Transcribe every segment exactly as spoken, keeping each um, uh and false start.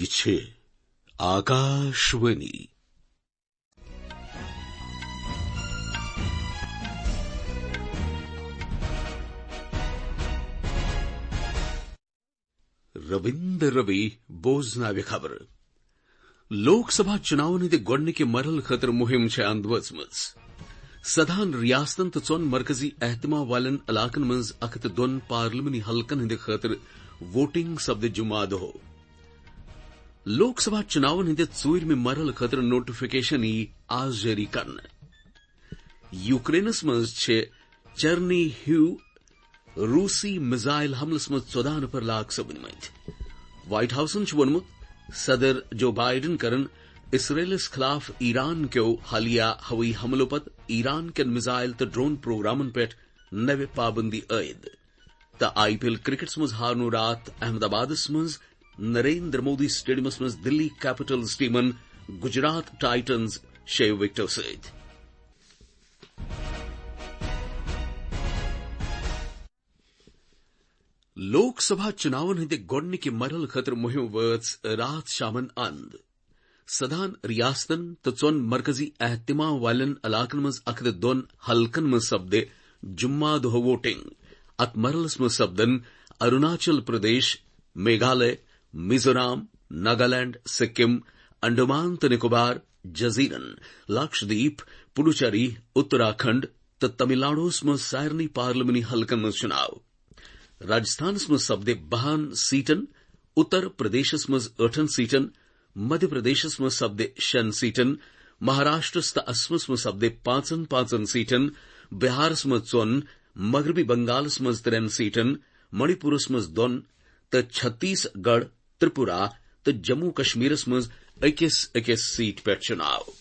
چھِ آکاشوانی۔ رویندر روی بوزناوِ خبرٕ۔ لوک سبھا چُناون ہٕنٛدِ گۄڈٕنِکہِ مرحلہٕ خٲطرٕ مُہِم چھےٚ اند وٲژمٕژ۔ سدہن ریاستن تہٕ ژۄن مرکزی اہتمام والٮ۪ن علاقن منٛز اکھ ہتھ تہٕ دۄن پارلیمانی حلقن ہٕنٛدِ خٲطرٕ ووٹنگ سپدِ جمعہ دۄہ۔ لوک سبھا چُناون ہٕنٛدِ ژوٗرمہِ مرحلہٕ خٲطرٕ نوٹیفکیشن یِیہِ آز جٲری کرنہٕ۔ یوکرینس منٛز چھِ چرنی ہیو روسی میزائل حملس منٛز ژۄداہ نفر ہلاک سپدمٕتۍ۔ وائٹ ہاؤسن چھُ ووٚنمُت، صدر جو بائیڈن کرن اسرائیلس خلاف ایران کیو حالیہ ہوٲیی حملو پتہٕ ایران کٮ۪ن میزائل تہٕ ڈرون پروگرامن پٮ۪ٹھ نوِ پابندی عائد۔ تہٕ آئی پی ایل کرکٹس منٛز ہارنو راتھ احمد آبادس منٛز نریندر مودی سٹیڈیمس منٛز دلی کیپٹلز ٹیمن گجرات ٹائٹنز شیٚیو وکٹو سۭتۍ۔ لوک سبھا چُناون ہٕنٛدِ گۄڈٕنِکہِ مرحلہٕ خٲطرٕ مُہِم وٲژ راتھ شامن اند۔ سدہن ریاستن تہٕ ژۄن مرکزی اہتمام والٮ۪ن علاقن منٛز اکھ ہتھ دۄن حلقن منٛز سپدِ جمعہ دۄہ ووٹنگ۔ اتھ مرحلس منٛز سپدن اروناچل پردیش، میگھالیہ، میزورام، ناگالینڈ، سکم، انڈمان تہٕ نکوبار جزیرن، لکشدیپ، پڈوچیری، اتراکھنڈ تہٕ تمل ناڈوس منٛز سارنٕے پارلیمانی حلقن منٛز چُناو۔ راجستھانس منٛز سپدِ بہن سیٹن، اتر پردیشس منٛز ٲٹھن سیٹن، مدھیہ پردیشس منٛز سپدِ شٮ۪ن سیٹن، مہاراشٹرس تہٕ اسمس منٛز سپدِ پانٛژن پانٛژن سیٹن، بہارس منٛز ژۄن، مغربی بنگالس منٛز ترٛٮ۪ن سیٹن، منی پورس منٛز دۄن تہٕ چھتیس گڑھ، ترپورہ تہٕ جموں کشمیرس منٛز أکِس أکِس سیٹ پٮ۪ٹھ چُناو۔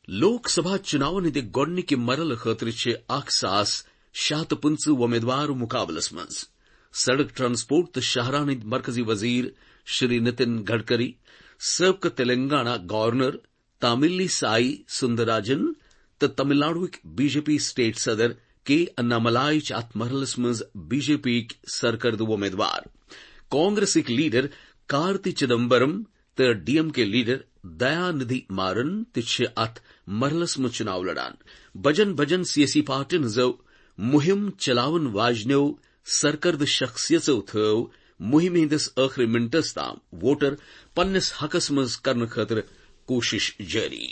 لوک سبھا چُناون ہٕنٛدِ گۄڈٕنِکہِ مرحلہٕ خٲطرٕ چھِ اکھ ساس شےٚ ہتھ تہٕ پٕنٛژٕہ وۄمیدوار مُقابلس منٛز۔ سڑک ٹرانسپورٹ تہٕ شاہراہن ہٕنٛدۍ مرکزی وزیر شری نتن گڈکری، سٲبقہٕ تلنگانہ گورنر تاملی سائی سُندراجن تہٕ تمل ناڈوٕکۍ بی جے پی سٹیٹ صدر کے اناملائی چھِ اتھ مرحلس منٛز بی جے پی یِکۍ سرکردٕ وۄمیدوار۔ کانگریسٕکۍ لیڈر کارتی چدمبرم تہٕ ڈی ایم کے لیڈر دیا ندھی مارن تہِ چھِ اتھ مرحلس منٛز چُناو لڑان۔ بجن بجن سیٲسی پارٹین ہٕنٛزو مُہِم چلاون واجنیو سرکردٕ شخصیژو تھٲو مُہِمہِ ہٕنٛدِس ٲخری منٹس تام ووٹر پننِس حقس منٛز کرنہٕ خٲطرٕ کوٗشش جٲری۔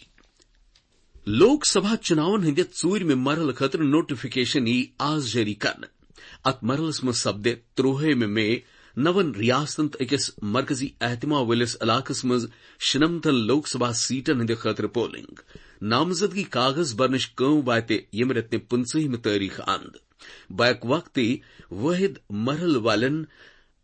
لوک سبھا چُناون ہٕنٛدِ ژوٗرمہِ مرحلہٕ خٲطرٕ نوٹیفکیشن یِیہِ آز جٲری کرنہٕ۔ اتھ مرحلس منٛز سپدِ ترٛوہٲیمہِ مے نون ریاستن تہٕ أکِس مرکزی اہتمام وٲلِس علاقس منٛز شُنمتن لوک سبھا سیٹن ہٕنٛدِ خٲطرٕ پولنگ۔ نامزدگی کاغذ برنٕچ کٲم واتہِ ییٚمہِ رٮ۪تہٕ پٕنٛژٕہمہِ تٲریخ اند۔ بیک وقتی وٲحد مرحلہٕ والٮ۪ن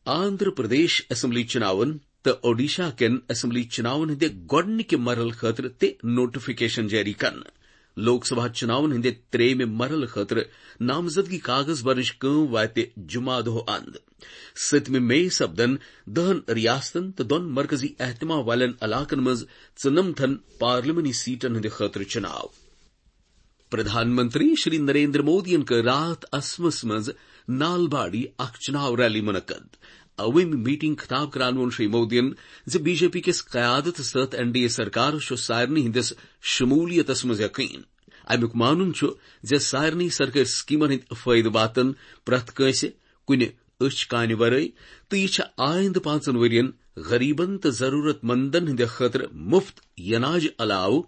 آندھرا پردیش اسمبلی چُناون تہٕ اوڈیشہ کٮ۪ن اسمبلی چُناون ہٕنٛدِ گۄڈٕنِکہِ مرحلہٕ خٲطرٕ تہِ نوٹیفکیشن جٲری کرنہٕ۔ لوک سبھا چُناون ہٕنٛدِ ترٛیٚیمہِ مرحلہٕ خٲطرٕ نامزدگی کاغذ برنٕچ کٲم واتہِ جمعہ دۄہ اند۔ سٔتمہِ مے سپدن دہن ریاستن تہٕ دۄن مرکزی اہتمام والٮ۪ن علاقن منٛز ژُنمتھن پارلیمانی سیٹن ہٕنٛدِ خٲطرٕ چُناو۔ پردھان منتری شری نریندر مودیَن کٔر راتھ اسمس منٛز نالباڑی اکھ چُناو ریلی منعقد۔ عوٲمی میٹنگ خطاب کران ووٚن شری مودیَن زِ بی جے پی کِس قیادتس تحت این ڈی اے سرکارس چھُ سارنٕے ہٕنٛدِس شمولیتس منٛز یقین۔ امیُک مانُن چھُ زِ سارنٕے سرکٲرۍ سکیمن ہٕنٛدۍ فٲیدٕ واتن پرٛٮ۪تھ کٲنٛسہِ کُنہِ أچھ کانہِ ورٲے، تہٕ یہِ چھےٚ آیندٕ پانٛژن ؤرین غریبن تہٕ ضرورت مندن ہٕنٛدِ خٲطرٕ مفت یناج علاوٕ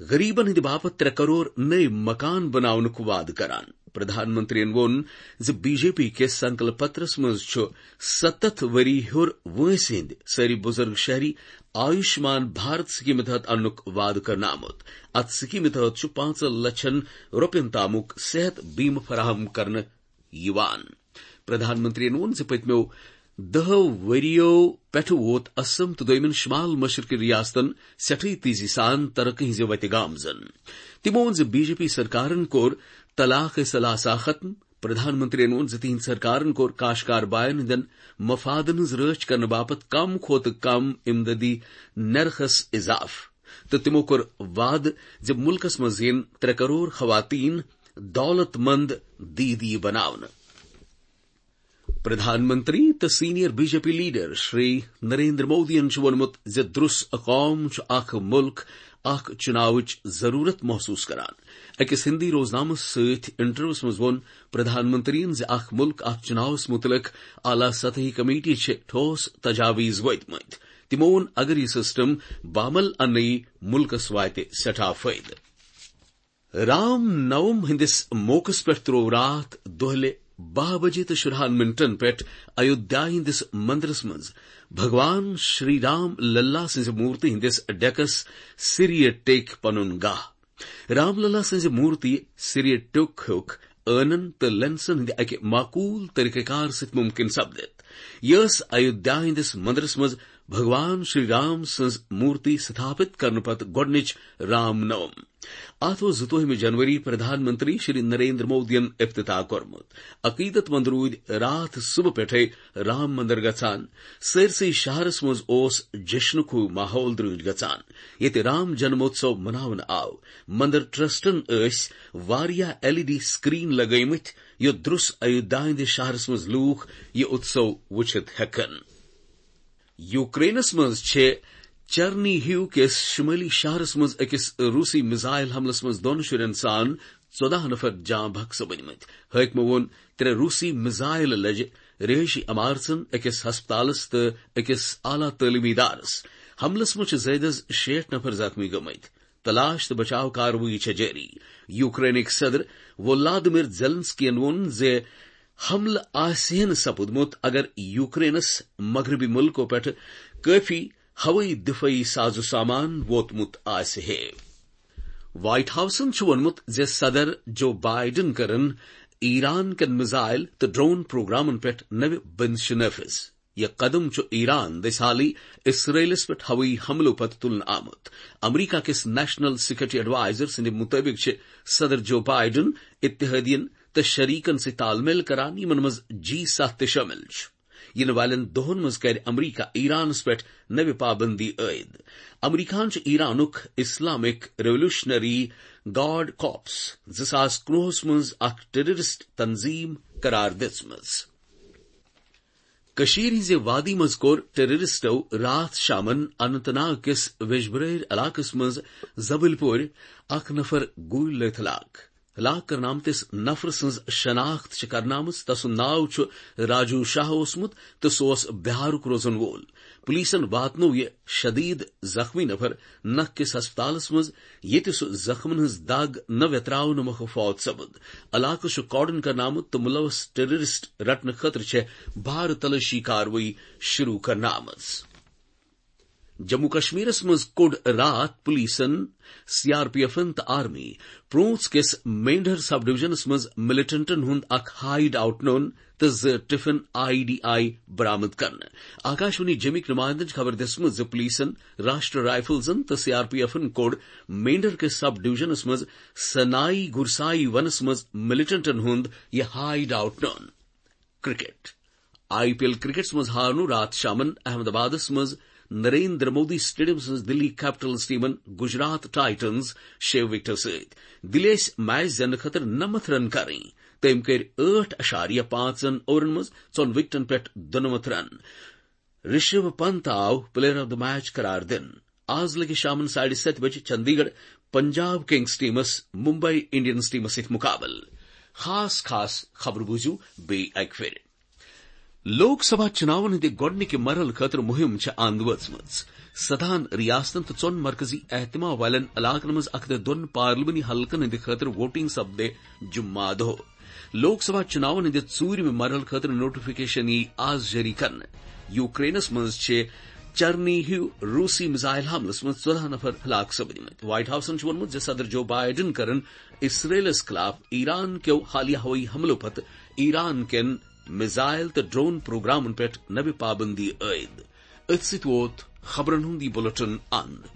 غریبن ہٕنٛدِ باپتھ ترٛےٚ کرور نٔوۍ مکان بناونُک وعدٕ کران۔ پردھان منتریَن ووٚن زِ بی جے پی کِس سنکلپ پترس منٛز چھُ ستتھ ؤری ہیوٚر وٲنٛسہِ ہٕنٛدۍ سٲری بُزرگ شہری آیوشمان بھارت سکیمہِ تحت اننُک وعدٕ کرنہٕ آمُت۔ اتھ سکیمہِ تحت چھُ پانٛژن لچھن رۄپین تامُک صحت بیمہٕ فراہم کرنہٕ یِوان۔ پردھان منتریَن ووٚن زِ پٔتمیو دہو ؤرِیو پٮ۪ٹھٕ ووت اسم تہٕ دوٚیمٮ۪ن شمال مشرقی ریاستن سٮ۪ٹھٕے تیزی سان ترقی ہٕنٛزِ وتہِ گامزن۔ تِمو ووٚن زِ بی جے پی سرکارن کوٚر طلاق ثلاثہ ختم۔ پردھان منتریَن ووٚن زِ تِہنٛدِ سرکارن کوٚر کاشکار باین ہٕنٛدٮ۪ن مفادن ہٕنٛز رٲچھ کرنہٕ باپتھ کم کھۄتہٕ کم امدادی نرخس اضافہٕ۔ تہٕ تِمو کوٚر وعدٕ زِ مُلکَس منٛز یِن ترٛےٚ کرور خواتین دولت مند دیٖدی بناونہٕ۔ پردھان منتری تہٕ senior B J P leader Shri Narendra مودیَن چھُ ووٚنمُت زِ درُس قوم چھُ اکھ مُلک اکھ چُناوٕچ ضروٗرت محسوٗس کران۔ أکِس ہِندی روزنامَس سۭتۍ انٹرویوَس منٛز ووٚن پردھان منتریَن زِ اکھ مُلک اکھ چُناوَس مُتعلِق اعلیٰ سطحی کمیٹی چھِ ٹھوس تجاویز وٲتمٕتۍ۔ تِمو ووٚن، اگر یہِ سسٹم بعمل اننہٕ یی، مُلکَس واتہِ سٮ۪ٹھاہ فٲیدٕ۔ رام نوم ہٕنٛدِس موقعس پٮ۪ٹھ تروو راتھ دۄہلہِ باہ بجے تہٕ شُرہَن منٹن پٮ۪ٹھ ایودھیا ہٕنٛدِس مندرس منٛز بھگوان شری رام للا سٕنٛزِ مورتی ہٕنٛدِس ڈیکس سریہ ٹیکۍ پنُن گاہ۔ رام للا سٕنٛزِ مورتی سریہ ٹیک ہیوٚک ٲنن تہٕ لینسن ہٕنٛدِ اکہِ معقول طریقہٕ کار سۭتۍ ممکن سپدِتھ۔ یہِ ٲس ایودھیا ہٕنٛدِس مندرس منٛز بھگوان شری رام سٕنٛز مورتی ستھاپت کرنہٕ پتہٕ گۄڈٕنِچ رام نوم۔ اتھ اوس زٕتووُہمہِ جنوری پردھان منتری شری نریندر مودیَن افتتاح کوٚرمُت۔ عقیدت مند روٗدۍ راتھ صبح پٮ۪ٹھے رام مندر گژھان۔ سٲرسٕے شہرس منٛز اوس جشنُک ہیوٗ ماحول درٲنج گژھان، ییٚتہِ رام جنموتسو مناونہٕ آو۔ مندر ٹرسٹن ٲسۍ واریاہ ایل ای ڈی سکرین لگٲومٕتۍ، یوٚت درُس ایودھیا ہٕنٛدِس شہرس منٛز لوٗکھ یہِ اتسو وٕچھِتھ ہٮ۪کن۔ یوکرینس منٛز چھِ چرنی ہیو کِس شمٲلی شہرس منٛز أکِس روسی میزائل حملس منٛز دۄن شُرٮ۪ن سان ژۄداہ نفر جاں بحق سپٕدمٕتۍ۔ حٲکمو ووٚن، ترٛےٚ روسی میزائل لجہِ رہٲیشی عمارژن، أکِس ہسپتالس تہٕ أکِس اعلیٰ تعلیمی ادارس۔ حملس منٛز چھِ زٲیدٕ از شیٹھ نفر زخمی گٔمٕتۍ۔ تلاش تہٕ بچاو کاروٲیی چھےٚ جٲری۔ یوکرینٕکۍ صدر ولادیمیر زیلنسکین ووٚن زِ حملہٕ آسہِ ہے نہٕ سپُدمُت اگر یوکرینس مغربی مُلکو پٮ۪ٹھٕ کٲفی ہوٲیی دفٲعی ساز و سامان ووتمُت آسہِ ہے۔ وائٹ ہاؤسن چھُ ووٚنمُت زِ صدر جو بائیڈن کٔرٕن ایران کٮ۪ن میزائل تہٕ ڈرون پروگرامن پٮ۪ٹھ نوِ بندشہِ نافذ۔ یہِ قدم چھُ ایران دٔسۍ حالٕے اسرائیلس پٮ۪ٹھ ہوٲیی حملو پتہٕ تُلنہٕ آمُت۔ امریکہ کِس نیشنل سیکورٹی ایڈوائزر سٕنٛدِ مُطٲبِق چھِ صدر جو بائیڈن اتحادین تہٕ شریکن سۭتۍ تال میل کران، یِمن منٛز جی ستھ تہِ شٲمِل چھُ۔ یِنہٕ والٮ۪ن دۄہن منٛز کرِ امریکہ ایرانس پٮ۪ٹھ نوِ پابندی عائد۔ امریکہن چھُ ایرانُک اسلامک ریولوشنری گارڈ کارپس زٕ ساس کُنوُہس منٛز اکھ ٹیررسٹ تنظیم قرار دِژمٕژ۔ کٔشیٖرِ ہٕنٛزِ وادی منٛز کوٚر ٹیررسٹو راتھ شامن اننت ناگ کِس ویجبرٲرۍ علاقس منٛز زبٕلۍ پورِ اکھ نفر گوٗلۍ لٲتھ ہلاک۔ ہلاک کرنہٕ آمتِس نفرٕ سٕنٛز شناخت چھِ کرنہٕ آمٕژ۔ تسُنٛد ناو چھُ راجو شاہ اوسمُت تہٕ سُہ اوس بہارُک روزن وول۔ پولیسن واتنوو یہِ شدید زخمی نفر نکھ کِس ہسپتالس منٛز، ییٚتہِ سُہ زخمن ہٕنٛز دگ نہٕ ویتراونہٕ مۄکھٕ فوت سپُد۔ علاقس چھُ کارڈن کرنہٕ آمُت تہٕ ملوث ٹیررسٹ رٹنہٕ خٲطرٕ چھےٚ بھارٕ تلٲشی کاروٲیی شروع کرنہٕ آمٕژ۔ جموں کشمیرس منٛز کوٚڑ راتھ پولیسن، سی آر پی ایفن تہٕ آرمی پرونژھ کِس مینڈھر سب ڈویژنس منٛز ملیٹنٹن ہُنٛد اکھ ہائیڈ آؤٹ نوٚن تہٕ زٕ ٹفن آئی ڈی آئی برآمد کرنہٕ۔ آکاشوانی جمِکۍ نمائندن چھِ خبر دِژمٕژ زِ پولیسن راشٹر رائفلزن تہٕ سی آر پی ایفن کوٚڑ مینڈھر کِس سب ڈویژنس منٛز سنائی گرسائی ونس منٛز ملیٹنٹن ہُنٛد یہِ ہائیڈ آؤٹ نوٚن۔ کرکٹ۔ آئی پی ایل کرکٹس منٛز ہارنو راتھ شامن احمد آبادس منٛز نریندر مودی سٹیڈیم سٕنٛز دِلی کیپٹلز ٹیمن گجرات ٹائٹنز شےٚ وکٹو سۭتۍ۔ دِلی ٲسۍ میچ زیننہٕ خٲطرٕ نَمَتھ رن کرٕنۍ۔ تٔمۍ کٔرۍ ٲٹھ اَشاریہ پانٛژن اوورن منٛز ژۄن وکٹن پٮ۪ٹھ دُنَمَتھ رن۔ رشبھ پنت آو پلیئر آف دی میچ قرار دِنہٕ۔ آز لگہِ شامن ساڑِ ستہِ بجہِ چندی گڑھ پنجاب کنگز ٹیمس ممبئی انڈینز ٹیمس سۭتۍ مقابلہٕ۔ خاص خاص خبرٕ بوٗزِو بیٚیہِ اکہِ پھِرِ۔ لوک سبھا چُناون ہٕنٛدِ گۄڈٕنِکہِ مرحلہٕ خٲطرٕ مُہِم چھےٚ اند وٲژمٕژ۔ سداہن ریاستن تہٕ ژۄن مرکزی اہتمام والٮ۪ن علاقن منٛز اکھ ہتھ دۄن پارلیمانی حلقن ہٕنٛدِ خٲطرٕ ووٹنگ سپدِ جمعہ دۄہ۔ لوک سبھا چُناون ہٕنٛدِ ژوٗرِمہِ مرحلہٕ خٲطرٕ نوٹیفکیشن یِیہِ آز جٲری کرنہٕ۔ یوکرینس منٛز چھِ چرنی ہیو روسی میزائل حملس منٛز ژۄداہ نفر ہلاک سپدمٕتۍ۔ وائٹ ہاؤسن چھُ ووٚنمُت زِ صدر جو بائیڈن کرن اسرائیلس خلاف ایران کیو حالیہ ہوٲیی حملو پتہٕ ایران کٮ۪ن میزائل تہٕ ڈرون پروگرامن پٮ۪ٹھ نوِ پابندی عائد۔ أتھۍ سۭتۍ ووت خبرن ہُنٛد یہِ بلیٹن اند۔